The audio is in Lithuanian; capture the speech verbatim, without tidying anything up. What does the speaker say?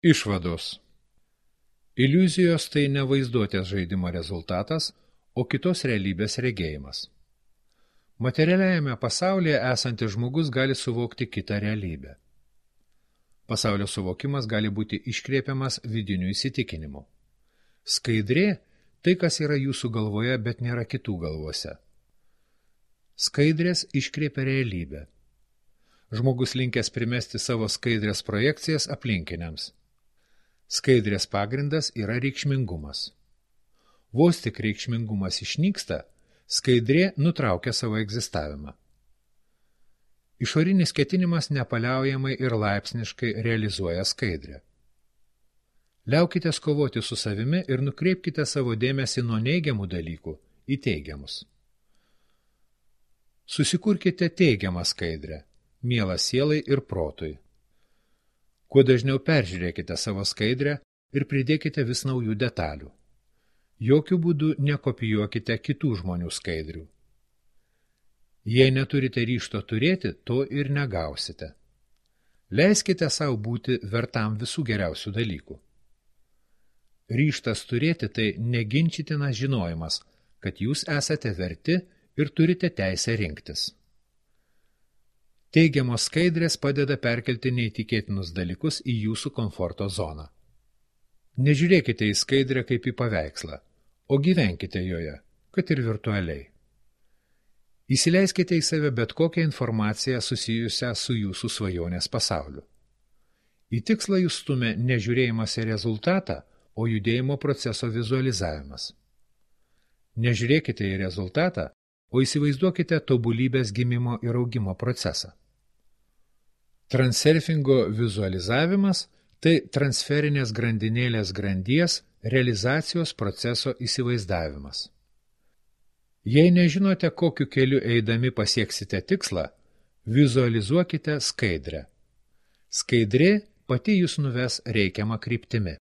Išvados. Iliuzijos tai ne vaizduotės žaidimo rezultatas, o kitos realybės regėjimas. Materialiajame pasaulyje esantis žmogus gali suvokti kitą realybę. Pasaulio suvokimas gali būti iškreipiamas vidiniu įsitikinimu. Skaidrė – tai, kas yra jūsų galvoje, bet nėra kitų galvose. Skaidrės iškreipia realybę. Žmogus linkęs primesti savo skaidrės projekcijas aplinkiniams. Skaidrės pagrindas yra reikšmingumas. Vos tik reikšmingumas išnyksta, skaidrė nutraukia savo egzistavimą. Išorinis ketinimas nepaliaujamai ir laipsniškai realizuoja skaidrę. Liaukitės kovoti su savimi ir nukreipkite savo dėmesį nuo neigiamų dalykų į teigiamus. Susikurkite teigiamą skaidrę, mielą sielai ir protui. Kuo dažniau peržiūrėkite savo skaidrę ir pridėkite vis naujų detalių. Jokių būdų nekopijuokite kitų žmonių skaidrių. Jei neturite ryžto turėti, to ir negausite. Leiskite savo būti vertam visų geriausių dalykų. Ryžtas turėti tai neginčytinas žinojimas, kad jūs esate verti ir turite teisę rinktis. Teigiamos skaidrės padeda perkelti neįtikėtinus dalykus į jūsų komforto zoną. Nežiūrėkite į skaidrę kaip į paveikslą, o gyvenkite joje, kad ir virtualiai. Įsileiskite į save bet kokią informaciją susijusią su jūsų svajonės pasauliu. Į tikslą jūs stumia nežiūrėjimas į rezultatą, o judėjimo proceso vizualizavimas. Nežiūrėkite į rezultatą, o įsivaizduokite tobulybės gimimo ir augimo procesą. Transurfingo vizualizavimas – tai transferinės grandinėlės grandies realizacijos proceso įsivaizdavimas. Jei nežinote, kokiu keliu eidami pasieksite tikslą, vizualizuokite skaidrę. Skaidrė pati jūs nuves reikiamą kryptimi.